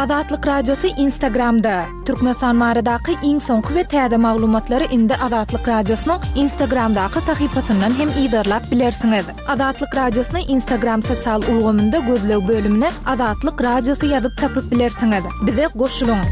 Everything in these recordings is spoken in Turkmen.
Azatlyk Radiosy Instagramda! Türkmenistan baradaky iň soňky we täze maglumatlary indi Azatlyk Radiosynyň Instagramdaky sahypasyndan hem yzarlap bilersiňiz. Azatlyk Radiosyny Instagram sosial ulgamynda gözleg bölümine Azatlyk Radiosy ýazyp tapyp bilersiňiz. Bize goşulyň!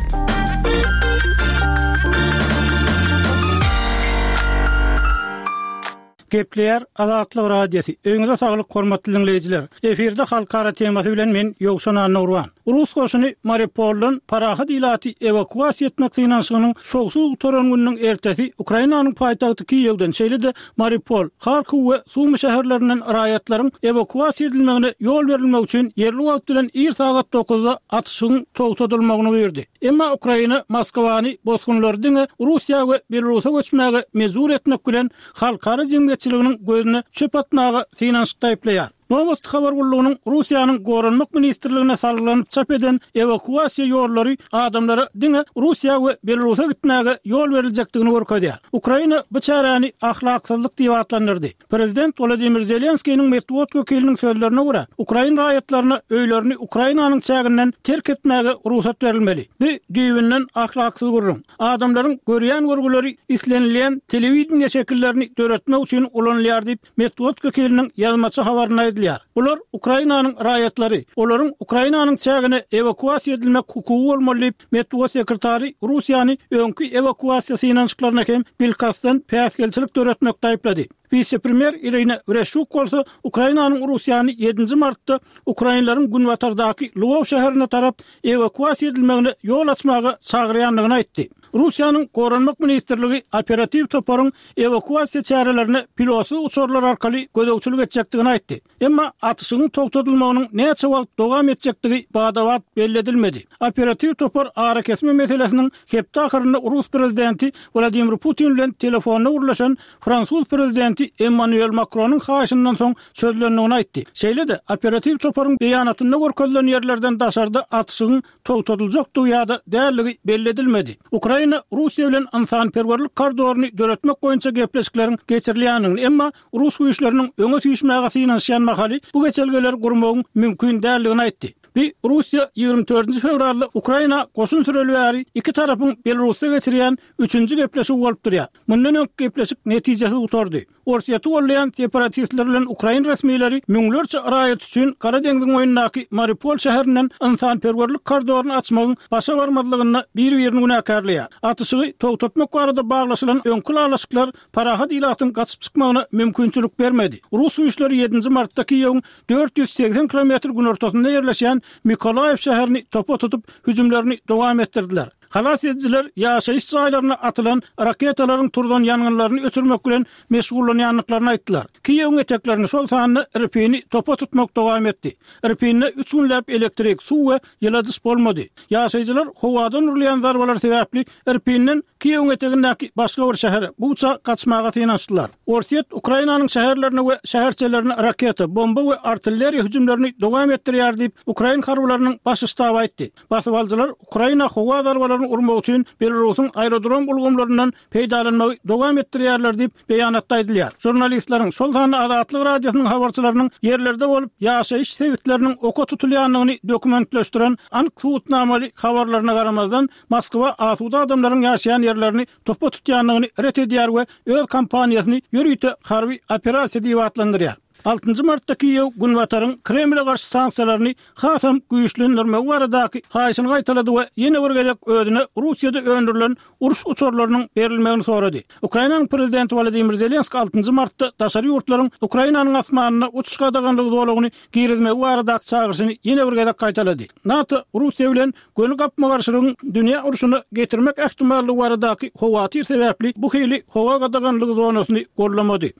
Gepleýär Azatlyk Radiosy. Öýüňize saglyk hormatly diňleýjiler. Efirde halkara temasy bilen men Ýowşan Annagurban. Rus goşuny Mariupoldan parahat ilaty ewakuasiýa etmek synanyşygynyň şowsuz gutaran gününiň ertesi Ukrainanyň paýtagty Kiýewden, şeýle-de Mariupol, Harkow we Sumy şäherlerinden raýatlaryň ewakuasiýa edilmegine ýol berilmegi üçin ýerli wagt bilen ir sagat dokuzda atyşygyň togtadylmagyny buýurdy. Emma Ukraina Moskwany bosgunlary diňe Russiýa we Belarusa göçmäge mejbur etmek bilen halkara jemgyýetçiliginiň gözüne çöp atmaga synanyşykda aýyplaýar. Nowosti habar gullugynyň Russiýanyň Goranmak ministrligine salgylanyp çap eden ewakuasiýa ýollary adamlara diňe Russiýa we Belarusa gitmäge ýol beriljekdigini görkezýär. Ukraina bu çäräni ahlaksyzlyk diýip atlandyrdy. Prezident Wolodymyr Zelenskiniň metbugat wekiliniň sözlerine görä, ukrain raýatlaryna öýlerini Ukrainanyň çäginden terk etmäge rugsat berilmeli. Bu düýbünden ahlaksyz gürrüň. Adamlaryň görýän görgüleri islenilýän telewideniýe şekillerini döretmek üçin ulanylýar diýip, metbugat wekiliniň ýazmaça habarynda aýdylýar. Bular Ukrainanyň raýatlary. Olaryň Ukrainanyň çägine ewakuasiýa edilmek hukugy bolmaly diýip, Metbugat sekretary Russiýany öňki ewakuasiýa synanyşyklaryna hem bilkastdan päsgelçilik döretmekde aýyplady. Wise-premýer Irina Wereşçuk bolsa Ukrainanyň Russiýany ýedinji martda ukrainleriň günbatardaky Lwow şäherine tarap ewakuasiýa edilmegine ýol açmaga çagyrýandygyny aýtdy. Russiýanyň Goranmak ministrligi operatiw toparyň ewakuasiýa çärelerine pilotsyz uçarlar arkaly gözegçilik etjekdigini aýtdy. Emma atyşygyň togtadylmagynyň näçe wagt dowam etjekdigi bada-bat belli edilmedi. Operatiw topar arakesme meselesiniň hepde ahyrynda rus prezidenti Wladimir Putin bilen telefonda gürleşen fransuz prezidenti Emmanuel Makronyň haýyşyndan soň çözülendigini aýtdy. Şeýle-de, operatiw toparyň beýanatynda görkezilen ýerlerden daşarda atyşygyň togtadyljakdygy ýa-da däldigi belli edilmedi. Ukraina Russiýa bilen ynsanperwerlik koridoryny döretmek boýunça gepleşikleriň geçirilýändigini, emma rus güýçleriniň öňe süýşmäge synanyşýan mahaly bu geçelgeleri gurmagyň mümkin däldigini aýtdy. Bu Russiýa 24 fewralda Ukraina goşun süreli bäri iki tarapyň Belarusda geçirýän üçünji gepleşigi bolup durýar. Mundan öňki gepleşik netijesiz gutardy. Orsýeti goldaýan separatistler bilen ukrain resmileri müňlerçe raýat üçin Gara deňziň boýundaky Mariupol şäherinden ynsanperwerlik koridoryny açmagyň başa barmazlygynda bir-birini günäkärleýär. Atyşygy togtatmak barada baglaşylan öňki ylalaşyklar parahat ilatyň gaçyp çykmagyna mümkinçilik bermedi. Rus güýçleri ýedinji martda Kiýewiň 480 kilometr günortasynda ýerleşýän Mykolaýiw şäherini topa tutup, hüjümlerini dowam etdirdiler. Halas edijiler ýaşaýyş jaýlaryna atylan raketalaryň turzan ýangynlaryny öçürmek bilen meşgullanýandyklaryny aýtdylar. Kiýewiň eteklerini, şol sanda Irpini topa tutmak dowam etdi. Irpinde üç günläp elektrik, suw we ýyladyş bolmady. Ýaşaýjylar howadan urulýan zarbalar sebäpli Irpinden Kiýewiň etegindäki başga bir şähere, Buça gaçmaga synanyşdylar. Orsýet Ukrainanyň şäherlerine we şäherçelerine raketa, bomba we artilleriýa hüjümlerini dowam etdirýär diýip, ukrain harbylarynyň baş ştaby aýtdy. Basybalyjylar Ukraina howa zarbalaryny urmak üçin Belarusyň aerodrom ulgamlaryndan peýdalanmagy dowam etdirýärler diýip, beýanatda aýdylýar. Žurnalistleriň, şol sanda Azatlyk Radiosynyň habarçylarynyň ýerlerde bolup, ýaşaýyş sebitleriniň oka tutulýandygyny dokumentleşdiren anyk subutnamaly habarlaryna garamazdan, Moskwa asuda adamlaryň ýaşaýan ýerlerini topa tutýandygyny ret edýär we öz kampaniýasyny ýörite harby operasiýa diýip atlandyrýar. Altynjy martda Kiýew Günbataryň Kremle garşy sanksiýalaryny hasam güýçlendirmegi baradaky haýyşyny gaýtalady we ýene bir gezek özüne Russiýada öndürilen uruş uçarlarynyň berilmegini sorady. Ukrainanyň prezidenti Wolodymyr Zelenskiý altynjy martda daşary ýurtlaryň Ukrainanyň asmanynda uçuş gadaganlygy zolagyny girizmegi baradaky çagyryşyny ýene bir gezek gaýtalady. NATO Russiýa bilen göni gapma-garşylygyň dünýä urşuna getirmek ähtimallygy baradaky howatyr sebäpli bu hili howa gadaganlygy zonasyny gollamady.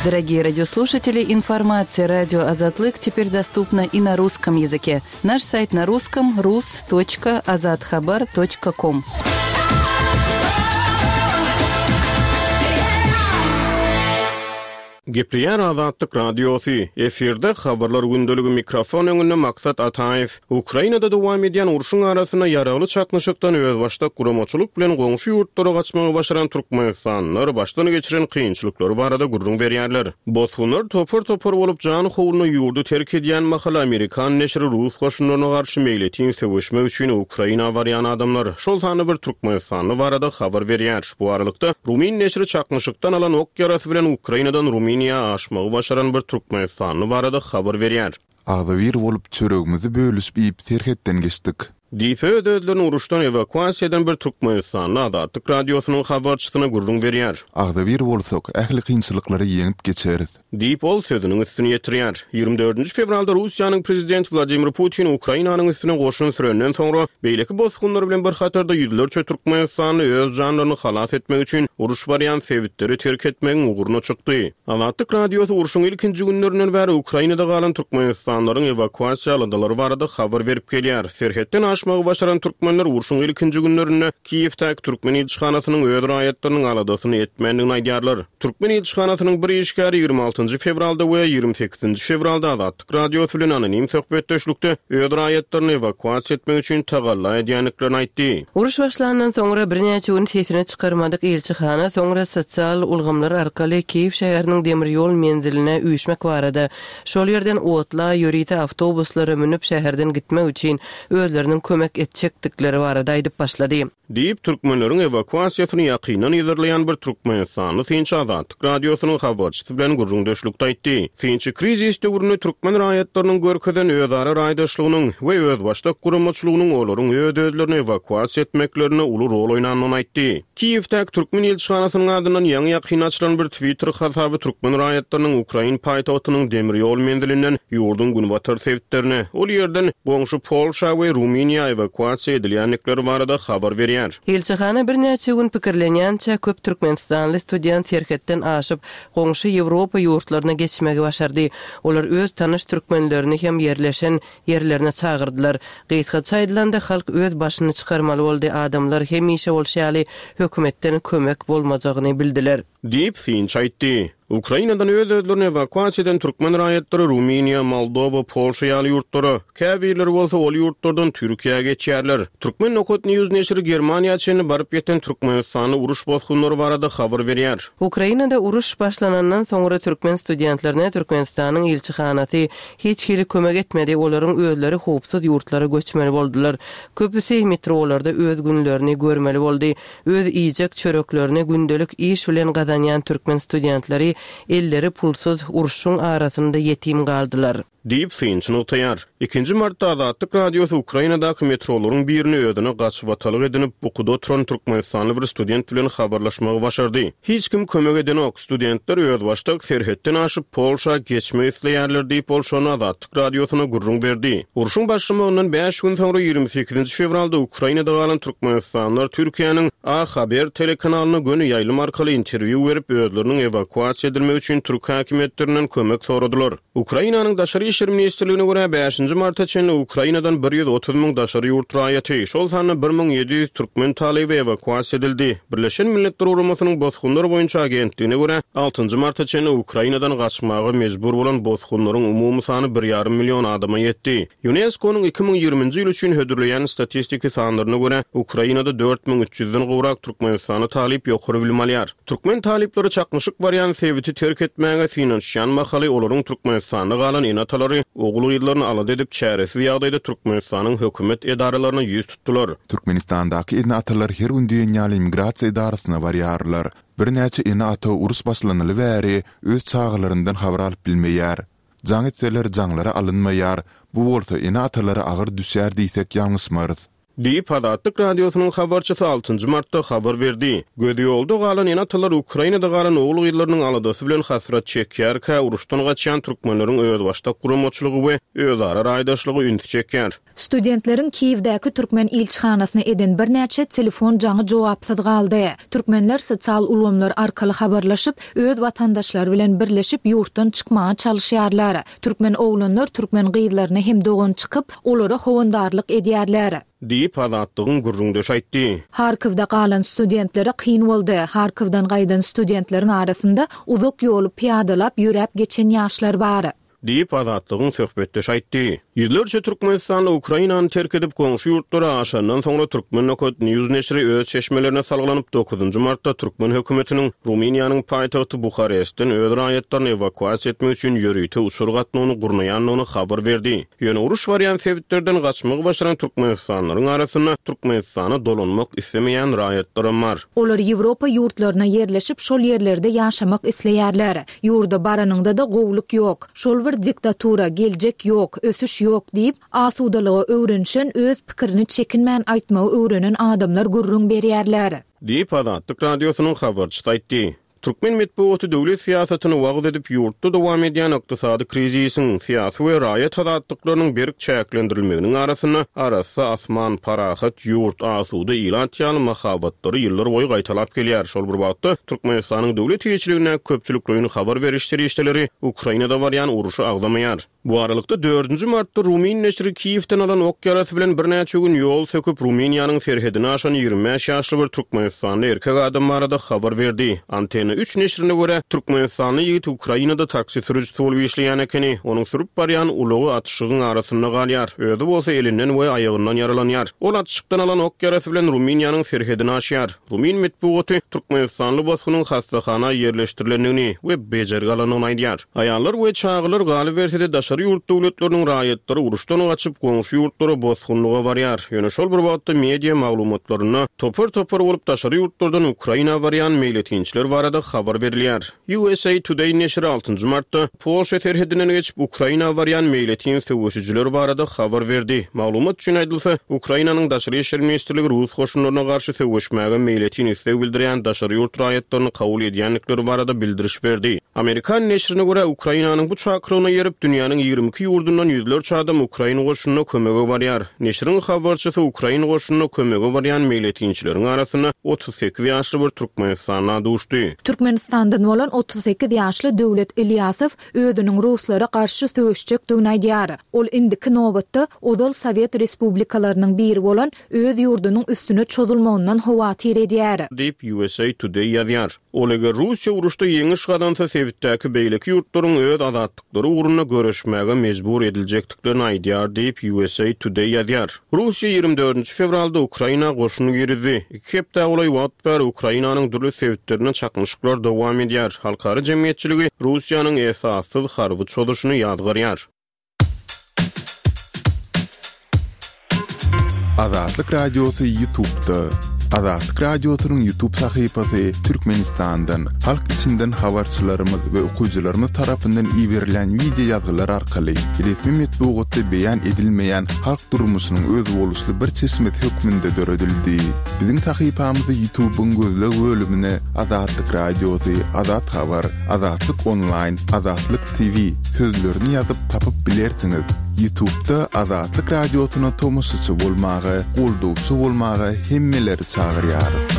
Дорогие радиослушатели, информация радио Азатлык теперь доступна и на русском языке. Наш сайт на русском rus.azathabar.com. Gepleýär Azatlyk Radiosy, efirde Habarlar gündeligi mikrofon öňünde Maksat Ataýew. Ukrainada dowam edýän urşuň arasynda ýaragly çaknyşykdan özbaşdak guramaçylyk bilen goňşy ýurtlara gaçmagy başaran türkmenistanlylar başdan geçiren kynçylyklary barada gürrüň berýärler. Bosgunlar topar-topar bolup jan howluna ýurdy terk edýän mahaly amerikan neşiri rus goşunlaryna garşy meýletin söweşmek üçin Ukraina barýan adamlar, şol sanda bir türkmenistanly barada habar berýär. Bu aralykda, rumyn neşiri çaknyşykdan alan ok ýarasy bilen Ukrainadan Rumyniýa aşmagy başaran bir türkmenistanly barada habar berýär. Agzybir bolup, çöregimizi bölüşip iýip serhetden geçdik. Diýip, öz-özlerini uruşdan ewakuasiýa eden bir türkmenistanly Azatlyk Radiosynyň habarçysyna gürrüň berýär. Agzybir bolsak, ähli kynçylyklary ýeňip geçeris. Diýip, ol sözüniň üstüni ýetirýär. 24 fewralda Russiýanyň prezidenti Wladimir Putin Ukrainanyň üstüne goşun sürenden soňra, beýleki bosgunlar bilen bir hatarda ýüzlerçe türkmenistanly öz janlaryny halas etmek üçin uruş barýan sebitleri terk etmegiň ugruna çykdy. Azatlyk Radiosy urşuň ilkinji günlerinden bäri Ukrainada galan türkmenistanlylaryň ewakuasiýa aladalary barada habar berip gelýär. Serhetden aşmagy başaran türkmenler urşuň ilkinji günlerinde Kiýewdäki türkmen ilçihanasynyň öz raýatlarynyň aladasyny etmändigini aýdýarlar. Türkmen ilçihanasynyň bir işgäri 26 njy fewralda we 28 nji fewralda Azatlyk Radiosy bilen anonim söhbetdeşlikde öz raýatlaryny ewakuasiýa etmek üçin tagalla edýändiklerini aýtdy. Uruş başlandan soňra birnäçe gün sesini çykarmadyk ilçihana soňra sosial ulgamlar arkaly Kiýew şäheriniň demir ýol menziline üýşmek barada, şol ýerden otla, ýörite awtobuslara münüp şäherden gitmek üçin özleriniň kömek etjekdikleri barada aýdyp başlady. Diýip, türkmenleriň ewakuasiýasyny ýakyndan yzarlaýan bir türkmenistanly synçy Azatlyk Radiosynyň habarçysy bilen gürrüňdeşlikde aýtdy. Synçy krizis döwründe türkmen raýatlarynyň görkezen özara raýdaşlygynyň we özbaşdak guramaçylygynyň olaryň öz-özlerini ewakuasiýa etmeklerinde uly rol oýnandygyny aýtdy. Kiýewdäki türkmen ilçihanasynyň adyndan ýaňy-ýakynda açylan bir Twitter hasaby türkmen raýatlarynyň ukrain paýtagtynyň demir ýol menzilinden ýurduň günbatar sebitlerine, ol ýerden goňşy Polşa we Rumyniýa ewakuasiýa edilýändikleri barada habar berýär. Ilçihana birnäçe gün pikirlenýänçä köp türkmenistanly student serhetden aşyp, goňşy Ýewropa ýurtlaryna geçmegi başardy. Olar öz tanyş türkmenlerini hem ýerleşen ýerlerine çagyrdylar. Gysgaça aýdylanda, halk öz başyny çykarmaly boldy, adamlar hemişe bolşy ýaly hökümetden kömek bolmajagyny bildiler. Diýip, synçy aýtdy. Ukrainadan öz-özlerini ewakuasiýa eden türkmen raýatlary Rumyniýa, Moldowa, Polşa ýaly ýurtlara, käbirleri bolsa ol ýurtlardan Türkiýä geçýärler. Turkmen nokat news neşiri Germaniýa çenli baryp ýeten türkmenistanly uruş bosgunlary barada habar berýär. Ukrainada uruş başlanandan soňra türkmen studentlerine Türkmenistanyň ilçihanasy hiç hili kömek etmedi, olaryň özleri howpsuz ýurtlara göçmeli boldular. Köpüsi metrolarda öz günlerini görmeli boldy. Öz iýjek çöreklerini gündelik iş bilen gazanýan türkmen studentleri elleri pulsuz urşuň arasynda ýetim galdylar. Diýip, synçy nygtaýar. Ikinji martda Azatlyk Radiosy Ukrainadaky metrolaryň birini özüne gaçybatalga edinip, bukuda oturan türkmenistanly bir student bilen habarlaşmagy başardy. Hiç kim kömek edenok, studentler özbaşdak serhetden aşyp, Polşa geçmek isleýärler diýip, ol şonda Azatlyk Radiosyna gürrüň berdi. Urşuň başlamagyndan bäş gün soňra, 28 fewralda Ukrainada galan türkmenistanlylar Türkiýäniň A Haber telekanalyna göni ýaýlym arkaly interwýu berip, özleriniň ewakuasiýa edilmegi üçin türk häkimiýetlerinden kömek soradylar. Ukrainanyň Daşary işler ministrligine görä, bäşinji marta çenli Ukrainadan 130 müň daşary ýurt raýaty, şol sanda 1700 türkmen talyby ewakuasiýa edildi. Birleşen Milletler Guramasynyň Bosgunlar boýunça agentligine görä, altynjy marta çenli Ukrainadan gaçmaga mejbur bolan bosgunlaryň umumy sany bir ýarym million adama ýetdi. Ýunesko-nyň 2020-nji ýyl üçin hödürleýän statistiki sanlaryna görä, Ukrainada 4300 den gowrak türkmenistanly talyp ýokary bilim alýar. Türkmen talyplary çaknyşyk barýan sebiti terk etmäge synanyşýan mahaly olaryň Türkmenistanda galan ene-atalary ogul-gyzlaryny alada edip çäresiz ýagdaýda Türkmenistanyň hökümet edaralaryna ýüz tutdular. Türkmenistandaky ene-atalar her gün diýen ýaly migrasiýa edarasyna barýarlar. Birnäçe ene-ata uruş başlanaly bäri öz çagalaryndan habar alyp bilmeýär. Jaň etseler jaňlary alynmaýar, bu bolsa ene-atalara agyr düşýär diýsek ýalňyşmarys. Diýip, Azatlyk Radiosynyň habarçysy altynjy martda habar berdi. Gözi ýolda galan ene-atalar Ukrainada galan ogul-gyzlarynyň aladasy bilen hasrat çekýärkä, uruşdan gaçýan türkmenleriň özbaşdak guramaçylygy we özara raýdaşlygy ünsi çekýär. Studentleriň Kiýewdäki türkmen ilçihanasyna eden birnäçe telefon jaňy jogapsyz galdy. Türkmenler sosial ulgamlar arkaly habarlaşyp, öz watandaşlary bilen birleşip ýurtdan çykmaga çalyşýarlar. Türkmen oglanlar türkmen gyzlaryna hem dogan çykyp, olara howandarlyk edýärler. Diýip, Azatlygyň gürrüňdeşi aýtdy. Harkowda galan studentlere kyn boldy. Harkowdan gaýdan studentleriň arasynda uzak ýoly pyýadalap ýöräp geçen ýaşlar bar. Diýip, Azatlygyň söhbetdeşi aýtdy. Ýüzlerçe türkmenistanly Ukrainany terk edip, goňşy ýurtlara aşandan soňra Turkmen nokat News neşiri öz çeşmelerine salgylanyp, dokuzynjy martda türkmen hökümetiniň Rumyniýanyň paýtagty Buharestden öz raýatlaryny ewakuasiýa etmek üçin ýörite uçar gatnawyny gurnaýandygyny habar berdi. Ýöne uruş barýan sebitlerden gaçmagy başaran türkmenistanlylaryň arasynda Türkmenistana dolanmak islemeýän raýatlaram bar. Olar Ýewropa ýurtlaryna ýerleşip, şol ýerlerde ýaşamak isleýärler. Ýurda baranyňda-da gowulyk ýok. Şol bir diktatura, geljek ýok, ösüş ýok diýip, asudalyga öwrenişen, öz pikirini çekinmän aýtmagy öwrenen adamlar gürrüň berýärler. Diýip, Azatlyk Radiosynyň habarçysy aýtdy. Türkmen metbugaty döwlet syýasatyny wagyz edip, ýurtda dowam edýän ykdysady krizisiň, syýasy we raýat azatlyklarynyň berk çäklendirilmeginiň arasynda arassa asman, parahat ýurt, asuda ilat ýaly mahabatlary ýyllar boýy gaýtalap gelýär. Şol bir wagtda, Türkmenistanyň döwlet eýeçiligindäki köpçülikleýin habar beriş serişdeleri Ukrainada barýan urşy agzamaýar. Bu aralykda, dördünji martda rumyn neşiri Kiýewden alan ok ýarasy bilen birnäçe gün ýol söküp, Rumyniýanyň serhedini aşan 25 ýaşly bir türkmenistanly erkek adam barada habar berdi. Antena üç neşirine görä, türkmenistanly ýigit Ukrainada taksi sürüjisi bolup işleýän ekeni. Onuň sürüp barýan ulagy atyşygyň arasynda galýar, özi bolsa elinden we aýagyndan ýaralanýar. Ol atyşykdan alan ok ýarasy bilen Rumyniýanyň serhedini aşýar. Rumyn metbugaty türkmenistanly bosgunyň hassahana ýerleşdirilendigini we bejergi alandygyny aýdýar. Aýallar we çagalar, galyberse-de, daşary ýurt döwletleriniň raýatlary uruşdan gaçyp, goňşy ýurtlara bosgunlyga barýar. Ýöne şol bir wagtda media maglumatlarynda topar-topar bolup daşary ýurtlardan Ukraina barýan meýletinçiler barada habar berilýär. USA Today neşiri altynjy martda Polşa serhedinden geçip, Ukraina barýan meýletin söweşijiler barada habar berdi. Maglumat üçin aýdylsa, Ukrainanyň Daşary işler ministrligi rus goşunlaryna garşy söweşmäge meýletin isleg bildirýän daşary ýurt raýatlaryny kabul edýändikleri barada bildiriş berdi. Amerikan neşirine görä, Ukrainanyň bu çakylygyna eýerip, dünýäniň 22 ýurdundan ýüzlerçe adam ukrain goşunyna kömege barýar. Neşiriň habarçysy ukrain goşunyna kömege barýan meýletinçileriň arasynda 38 ýaşly bir türkmenistanla duşdy. Türkmenistandan bolan 38 ýaşly Döwlet Ilýasow özüniň ruslara garşy söweşjekdigini aýdýar. Ol indiki nobatda ozal sowet respublikalarynyň biri bolan öz ýurdunyň üstüne çozulmagyndan howatyr edýär. Diýip, USA Today ýazýar. Ol eger Russiýa uruşda ýeňiş gazansa, sebitdäki beýleki ýurtlaryň öz azatlyklary ugrunda göreşmäge mejbur ediljekdiklerini aýdýar diýip, USA Today ýazýar. Russiýa 24 fewralda Ukraina goşun girizdi. Iki hepdä golaý wagt bäri Ukrainanyň dürli sebitlerinde çaknyşyklar dowam edýär. Halkara jemgyýetçiligi Russiýanyň esassyz harby çozuşyny ýazgarýar. Azatlyk Radiosy Ýutubda. Azatlyk Radiosynyň Ýutub sahypasy Türkmenistandan, halk içinden habarçylarymyz we okyjylarymyz tarapyndan iberilen wideo ýazgylar arkaly resmi metbugatda beýan edilmeýän halk durmuşynyň özboluşly bir çeşmesi hökmünde döredildi. Biziň sahypamyzy Ýutubyň gözleg bölümine Azatlyk Radiosy, Azat Habar, Azatlyk Onlaýn, Azatlyk TV sözlerini ýazyp tapyp bilersiňiz. Ýutubda Azatlyk Radiosyna tomaşaçy bolmaga, goldawçy bolmaga hemmeleri çagyrýarys.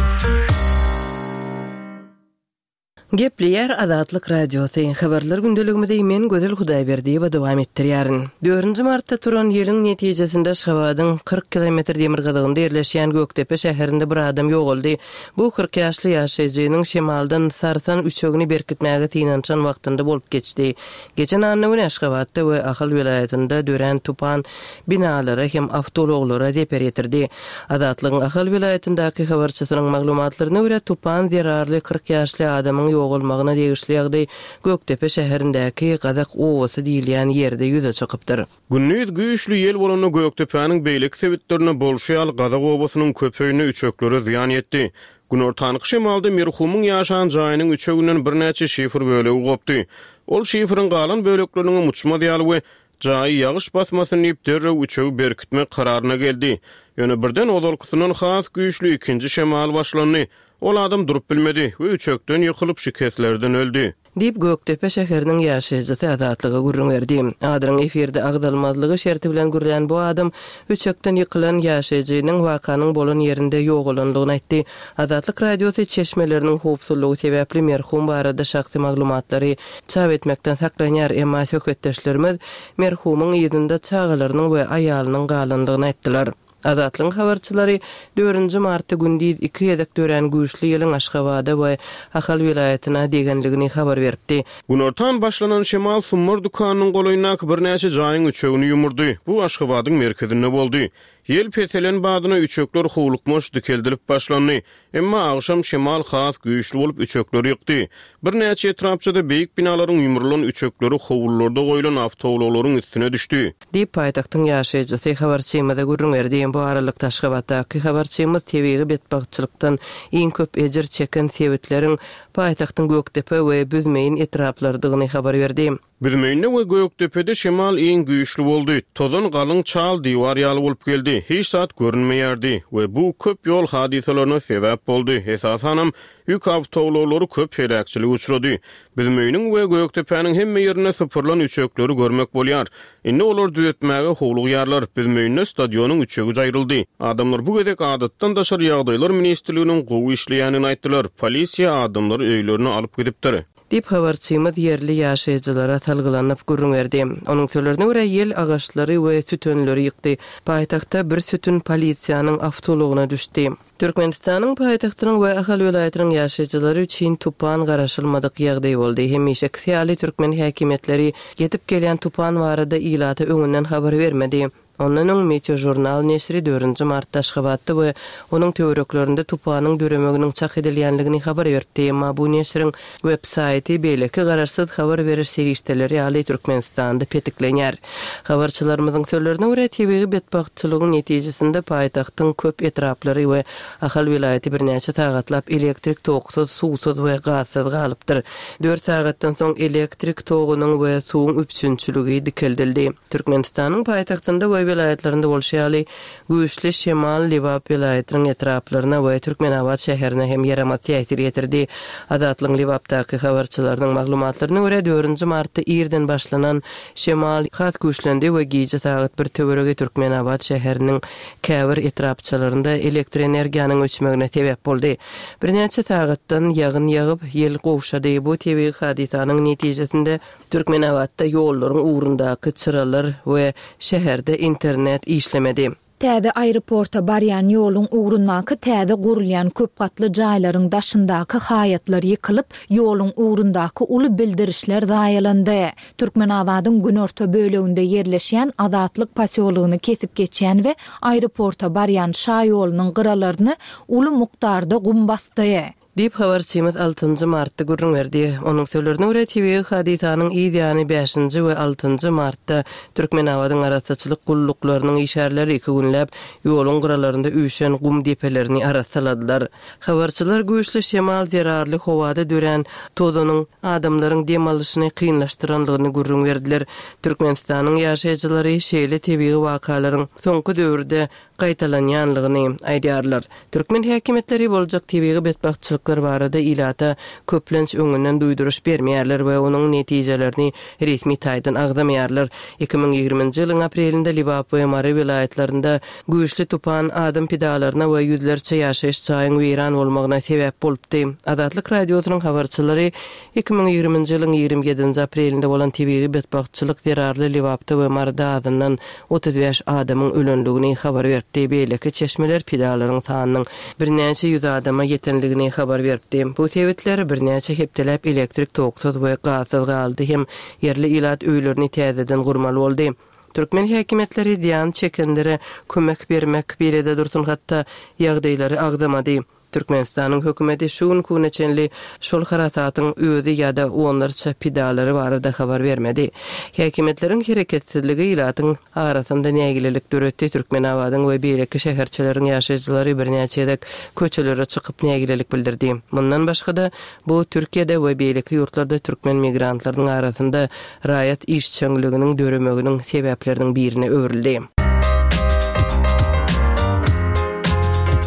Gepleýär Azatlyk Radiosy, Habarlar gündeligimizi men Gözel Hudaýberdiýewa dowam etdirýärin. Dördünji martda turan ýeliň netijesinde Aşgabadyň 40 kilometr demirgazygynda ýerleşýän Gökdepe şäherinde bir adam ýogaldy. Bu 40 ýaşly ýaşaýjynyň şemaldan sarsan üçegini berkitmäge synanyşan wagtynda bolup geçdi. Geçen anna güni Aşgabatda we Ahal welaýatynda dörän tupan binalara hem awtoulaglara zeper ýetirdi. Azatlygyň Ahal welaýatyndaky habarçysynyň maglumatlaryna görä, tupan zerarly 40 ýaşly adamyň ýogalmagyna degişli ýagdaý Gökdepe şäherindäki Gazak obasy diýilýän ýerde ýüze çykypdyr. Gündiz güýçli ýel bolanda Gökdepäniň beýleki sebitlerinde bolşy ýaly Gazak obasynyň köp öýünde üçeklere zyýan ýetdi. Günortanky şemalda merhumyň ýaşan jaýynyň üçeginden birnäçe şifr bölegi gopdy. Ol şifriň galan bölekleriniňem uçmaz ýaly we jaýy ýagyş basmasyn diýip derrew üçegi berkitmek kararyna geldi. Ýöne birden ozalkysyndan has güýçli ikinji şemal başlandy. Ol adam durup bilmedi we üçekden ýykylyp şikeslerden öldi. Diýip, Gökdepe şäheriniň ýaşaýjysy Azatlyga gürrüň berdi. Adynyň efirde agzalmazlygy şerti bilen gürlän bu adam üçekden ýykylan ýaşaýjynyň wakanyň bolan ýerinde ýogalandygyny aýtdy. Azatlyk Radiosy çeşmeleriniň howpsuzlygy sebäpli merhum barada şahsy maglumatlary çap etmekden saklanýar, emma söhbetdeşlerimiz merhumyň yzynda çagalarynyň we aýalynyň galandygyny aýtdylar. Azatlygyň habarçylary dördünji martda gündiz iki gezek dörän güýçli ýeliň Aşgabada we Ahal welaýatyna degenligini habar beripdi. Günortan başlanan şemal Summar dükanynyň golaýyndaky birnäçe jaýyň üçegini ýumurdy. Bu Aşgabadyň merkezinde boldy. Ýel peselen badyna üçekler howlukmaç dikeldilip başlandy. Emma agşam şemal has güýçli bolup üçekleri ýykdy. Birnäçe etrapçada beýik binalaryň ýumrulan üçekleri howlularda goýlan awtoulaglaryň üstüne düşdi. Diýip, paýtagtyň ýaşaýjysy habarçymyza gürrüň berdi. Bu aralykda, Aşgabatdaky habarçymyz tebigy betbagtçylykdan iň köp ejir çeken sebitleriň paýtagtyň Gökdepe we Büzmeýin etraplarydygyny habar berdi. Büzmeýinde we Gökdepede şemal iň güýçli boldy. Tozan galyň çal diwar ýaly bolup geldi. Hiç zat görünmeýärdi we bu köp ýol hadysalaryna sebäp boldy. Esasanam, ýük awtoulaglary köp heläkçilige uçrady. Büzmeýiniň we Gökdepäniň hemme ýerinde sypyrylan üçekleri görmek bolýar. Indi olary düzetmäge howlugýarlar. Büzmeýinde stadionyň üçegi jaýryldy. Adamlar bu gezek Adatdan daşary ýagdaýlar ministrliginiň gowy işleýändigini aýtdylar. Polisiýa adamlary öýlerine alyp gidipdir. Diýip, habarçymyz ýerli ýaşaýjylara salgylanyp gürrüň berdi. Onuň sözlerine görä, ýel agaçlary we sütünleri ýykdy. Paýtagtda bir sütün polisiýanyň awtoulagyna düşdi. Türkmenistanyň paýtagtynyň we Ahal welaýatynyň ýaşaýjylary üçin tupan garaşylmadyk ýagdaý boldy. Hemişekisi ýaly, türkmen häkimiýetleri ýetip gelýän tupan barada ilata öňünden habar bermedi. Ondan öň Meteožurnal neşiri dördünji martda Aşgabatda we onuň töwereklerinde tupanyň döremeginiň çak edilýänligini habar beripdi. Emma bu neşiriň web saýty beýleki garaşsyz habar beriş serişdeleri ýaly Türkmenistanda petiklenýär. Habarçylarymyzyň sözlerine görä, tebigy betbagtçylygyň netijesinde paýtagtyň köp etraplary we Ahal welaýaty birnäçe sagatlap elektrik toksuz, suwsuz we gazsyz galypdyr. Dört sagatdan soň elektrik togunyň we suwuň üpjünçiligi dikeldildi. Türkmenistanyň paýtagtynda we welaýatlarynda bolşy ýaly, güýçli şemal Lebap welaýatynyň etraplaryna we Türkmenabat şäherine hem ýaramaz täsir ýetirdi. Azatlygyň Lebapdaky habarçylarynyň maglumatlaryna görä, dördünji martda irden başlanan şemal has güýçlendi we gije sagat bir töweregi Türkmenabat şäheriniň käbir etrapçalarynda elektrenergiýanyň öçmegine sebäp boldy. Birnäçe sagatdan ýagyn ýagyp, ýel gowşady. Bu tebigy hadysanyň netijesinde Türkmenabatda ýollaryň ugrundaky çyralar we şäherde internet işlemedi. Täze aeroporta barýan ýoluň ugrundaky täze gurulýan köp gatly jaýlaryň daşyndaky haýatlar ýykylyp, ýoluň ugrundaky uly bildirişler zaýalandy. Türkmenabadyň günorta böleginde ýerleşýän Azatlyk posýologyny kesip geçýän we aeroporta barýan şaýolunyň gyralaryny uly mukdarda gum basdy. Diýip, habarçymyz altynjy martda gürrüň berdi. Onuň sözlerine görä, tebigy hadysanyň yz ýany bäşinji we altynjy martda Türkmenabadyň arassaçylyk gulluklarynyň işgärleri iki günläp ýoluň gyralarynda üýşen gum depelerini arassaladylar. Habarçylar güýçli şemal zerarly howada dörän tozanyň adamlaryň dem alyşyny kynlaşdyrandygyny gürrüň berdiler. Türkmenistanyň ýaşaýjylary şeýle tebigy wakalaryň soňky döwürde gaýtalanýanlygyny aýdýarlar. Türkmen häkimiýetleri boljak tebigy betbagtçylyklar barada ilata köplenç öňünden duýduryş bermeýärler we onuň netijelerini resmi taýdan agzamaýarlar. 2020-nji ýylyň aprelinde Lebap we Mary welaýatlarynda güýçli tupan adam pidalaryna we ýüzlerçe ýaşaýyş jaýyň weýran bolmagyna sebäp bolupdy. Azatlyk Radiosynyň habarçylary 2020-nji ýylyň 27-nji aprelinde bolan tebigy betbagtçylyk zerarly Lebapda we Maryda azyndan 35 adamyň ölendigini habar beripdi, beýleki çeşmeler pidalaryň sanynyň birnäçe ýüz adama ýetendigini habar beripdi. Bu sebitler birnäçe hepdeläp elektrik toksuz we gazsyz galdy hem ýerli ilat öýlerini täzeden gurmaly boldy. Türkmen häkimiýetleri zyýan çekenlere kömek bermek birede dursun hatda ýagdaýlary agzamady. Türkmenistanyň hökümeti şu günki güne çenli şol harasatyň özi ýa-da onlarça pidalary barada habar bermedi. Häkimiýetleriň hereketsizligi ilatyň arasynda nägilelik döretdi, Türkmenabadyň we beýleki şäherçeleriň ýaşaýjylary birnäçe gezek köçelere çykyp nägilelik bildirdi. Mundan başga-da, bu Türkiýede we beýleki ýurtlarda türkmen migrantlarynyň arasynda raýat işjeňliginiň döremeginiň sebäpleriniň birine öwrüldi.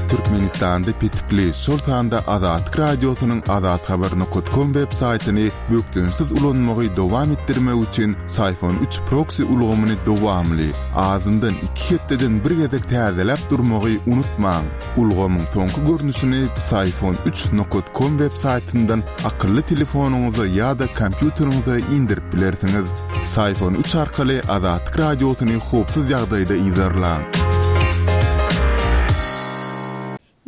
Türkmenistanda petikli, şol sanda Azatlyk Radiosynyň azathabar nokat kom web saýtyny bökdençsiz ulanmagy dowam etdirmek üçin Syfon üç proksi ulgamyny dowamly, azyndan iki hepdeden bir gezek täzeläp durmagy unutmaň. Ulgamyň soňky görnüşini Psiphon üç nokat kom web saýtyndan akylly telefonyňyza ýa-da kompýuteriňize indirip bilersiňiz. Psiphon üç arkaly Azatlyk Radiosyny howpsuz ýagdaýda yzarlaň.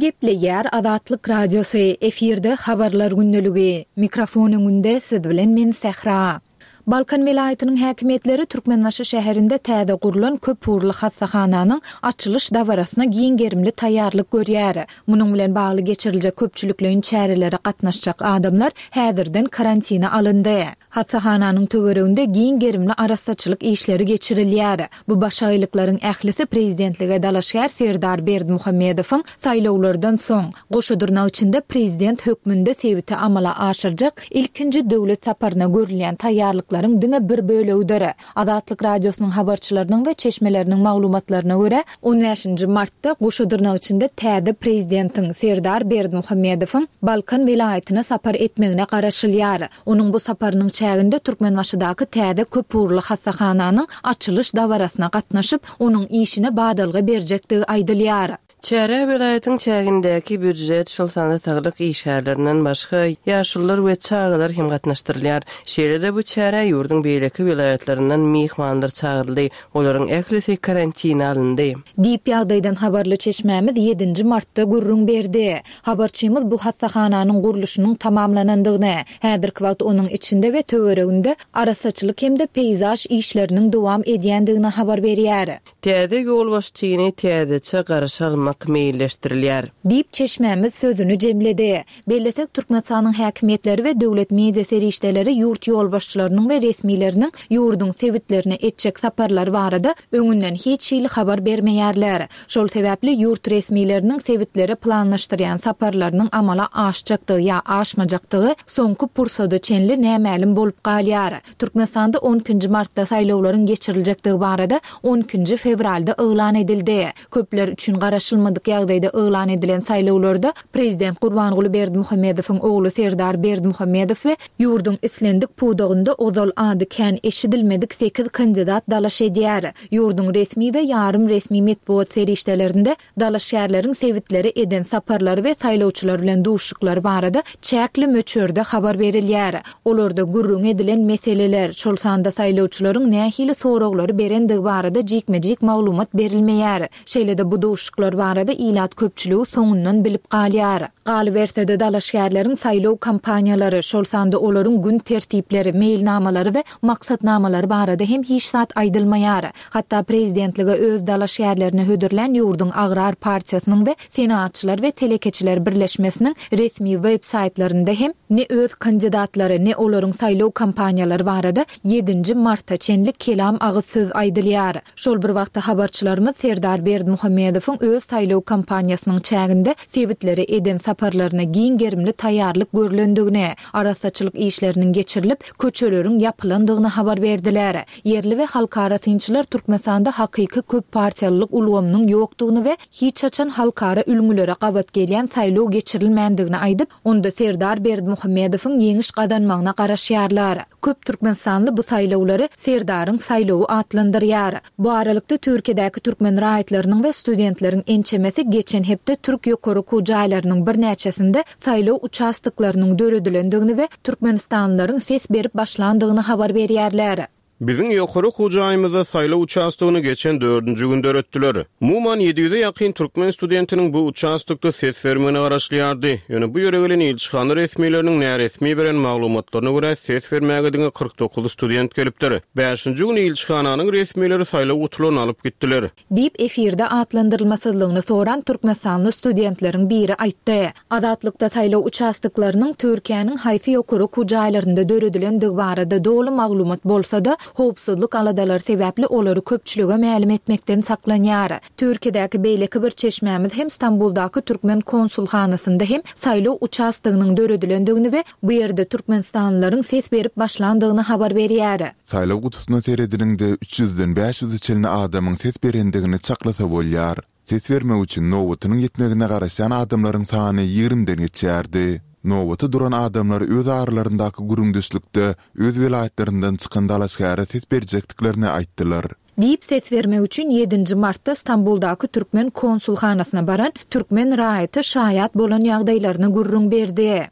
Gepleýär Azatlyk Radiosy, efirde Habarlar gündeligi. Mikrofon öňünde siz bilen men Sähra. Balkan welaýatynyň häkimiýetleri Türkmenbaşy şäherinde täze gurlan köpugurly hassahananyň açylyş dabarasyna giň gerimli taýýarlyk görýär. Munuň bilen bagly geçiriljek köpçülikleýin çärelere gatnaşjak adamlar häzirden karantina alyndy. Hassahananyň töwereginde giň gerimli arassaçylyk işleri geçirilýär. Bu başagaýlyklaryň ählisi prezidentlige dalaşgär Serdar Berdimuhamedowyň saýlawlardan soň, goşa dyrnak içinde prezident hökmünde sebite amala aşyrjak ilkinji döwlet saparyna görülýän taýýarlyklaryň diňe bir bölegidir. Azatlyk Radiosynyň habarçylarynyň we çeşmeleriniň maglumatlaryna görä, on bäşinji martda goşa dyrnak içinde täze prezidentiň Serdar Berdimuhamedowyň Balkan welaýatyna sapar etmegine garaşylýar. Onuň bu saparynyň çäginde Türkmenbaşydaky täze köpugurly hassahananyň açylyş dabarasyna gatnaşyp, onuň işine badalga berjekdigi aýdylýar. Çärä welaýatyň çägindäki býujet, şol sanda saglyk işgärlerinden başga, ýaşulular we çagalar hem gatnaşdyrylýar. Şeýle-de bu çärä ýurduň beýleki welaýatlaryndan myhmanlar çagyryldy. Olaryň ählisi karantina alyndy. Diýip, ýagdaýdan habarly çeşmämiz ýedinji martda gürrüň berdi. Habarçymyz bu hassahananyň gurluşynyň tamamlanandygyny, häzirki wagt onuň içinde we töwereginde arassaçylyk hem-de peýzaž işleriniň dowam edýändigini habar berýär. Täze ýolbaşçyny täzeçe garşy almak meýilleşdirilýär. Diýip, çeşmämiz sözüni jemledi. Bellesek, Türkmenistanyň häkimiýetleri we döwlet media serişdeleri ýurt ýolbaşçylarynyň we resmileriniň ýurduň sebitlerine etjek saparlary barada öňünden hiç hili habar bermeýärler. Şol sebäpli ýurt resmileriniň sebitlere planlaşdyrýan saparlarynyň amala aşjakdygy ýa aşmajakdygy soňky pursada çenli nämälim bolup galýar. Türkmenistanda on ikinji martda saýlawlaryň geçiriljekdigi barada on ikinji fewralda yglan edildi. Köpler üçin garaşylmadyk ýagdaýda yglan edilen saýlawlarda prezident Gurbanguly Berdimuhamedowyň ogly Serdar Berdimuhamedow we ýurduň islendik pudagynda ozal ady kän eşidilmedik sekiz kandidat dalaş edýär. Ýurduň resmi we ýarym resmi metbugat serişdelerinde dalaşgärleriň sebitlere eden saparlary we saýlawçylar bilen duşuşyklary barada çäkli möçberde habar berilýär. Olarda gürrüňi edilen meseleler, şol sanda saýlawçylaryň nähili soraglary berendigi barada jikme-jik maglumat berilmeýär. Şeýle-de bu duşuşyklar barada ilat köpçüligi soňundan bilip galýar. Galyberse-de, dalaşgärleriň saýlaw kampaniýalary, şol sanda olaryň gün tertipleri, meýilnamalary we maksatnamalary barada hem hiç zat aýdylmaýar. Hatda prezidentlige öz dalaşgärlerini hödürlän ýurduň Agrar partiýasynyň we Senagatçylar we telekeçiler birleşmesiniň resmi web saýtlarynda hem ne öz kandidatlary, ne olaryň saýlaw kampaniýalary barada ýedinji marta çenli kelam agyz söz aýdylýar. Şol bir wagtda habarçylarymyz Serdar Berdimuhamedowyň öz saýlaw kampaniýasynyň çäginde sebitlere eden saparlaryna giň gerimli taýýarlyk görlendigini, arassaçylyk işleriniň geçirilip, köçeleriň ýapylandygyny habar berdiler. Ýerli we halkara synçylar Türkmenistanda hakyky köppartiýalylyk ulgamynyň ýokdugyny we hiç haçan halkara ülňülere gabat gelýän saýlaw geçirilmändigini aýdyp, onda Serdar Berdimuhamedowyň ýeňiş gazanmagyna garaşýarlar. Köp türkmenistanly bu saýlawlary Serdaryň saýlawy atlandyrýar. Bu aralykda, Türkiýedäki türkmen raýatlarynyň we studentleriň ençemesi geçen hepde türk ýokary okuw jaýlarynyň birnäçesinde saýlaw uçastoklarynyň döredilendigini we türkmenistanlylaryň ses berip başlandygyny habar berýärler. Biziň ýokary okuw jaýymyzda saýlaw uçastogyny geçen dördünji gün döretdiler. Umuman, 700-e ýakyn türkmen studentiniň bu uçastokda ses bermegine garaşylýardy. Ýöne bu ýere gelen ilçihana resmileriniň näresmi beren maglumatlaryna görä, ses bermäge diňe 49 student gelipdir. Bäşinji gün ilçihananyň resmileri saýlaw gutularyny alyp gitdiler. Diýip, efirde atlandyrylmasyzlygyny soran türkmenistanly studentleriň biri aýtdy. Azatlykda saýlaw uçastoklarynyň Türkiýäniň haýsy ýokary okuw jaýlarynda döredilendigi barada doly maglumat bolsa-da, howpsuzlyk aladalary sebäpli olary köpçülige mälim etmekden saklanýar. Türkiýedäki beýleki bir çeşmämiz hem Stambuldaky türkmen konsulhanasynda hem saýlaw uçastogynyň döredilendigini we bu ýerde türkmenistanlylaryň ses berip başlandygyny habar berýär. Saýlaw gutusyna seredeniňde, üç ýüzden bäş ýüze çenli adamyň ses berendigini çaklasa bolýar. Ses bermek üçin nobatynyň ýetmegine garaşýan adamlaryň sany ýigrimden geçýärdi. Nobata duran adamlar öz aralaryndaky gürrüňdeşlikde öz welaýatlaryndan çykan dalaşgäre ses berjekdiklerini aýtdylar. Diýip, ses bermek üçin ýedinji martda Stambuldaky türkmen konsulhanasyna baran türkmen raýaty şaýat bolan ýagdaýlaryny gürrüň berdi.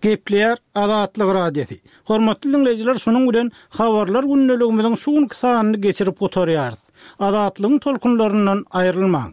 Gepleýär Azatlyk Radiosy. Hormatly diňleýjiler şunuň bilen Habarlar gündeligimiziň şu günki sanyny geçirip gutarýarys. Azatlygyň tolkunlaryndan aýrylmaň.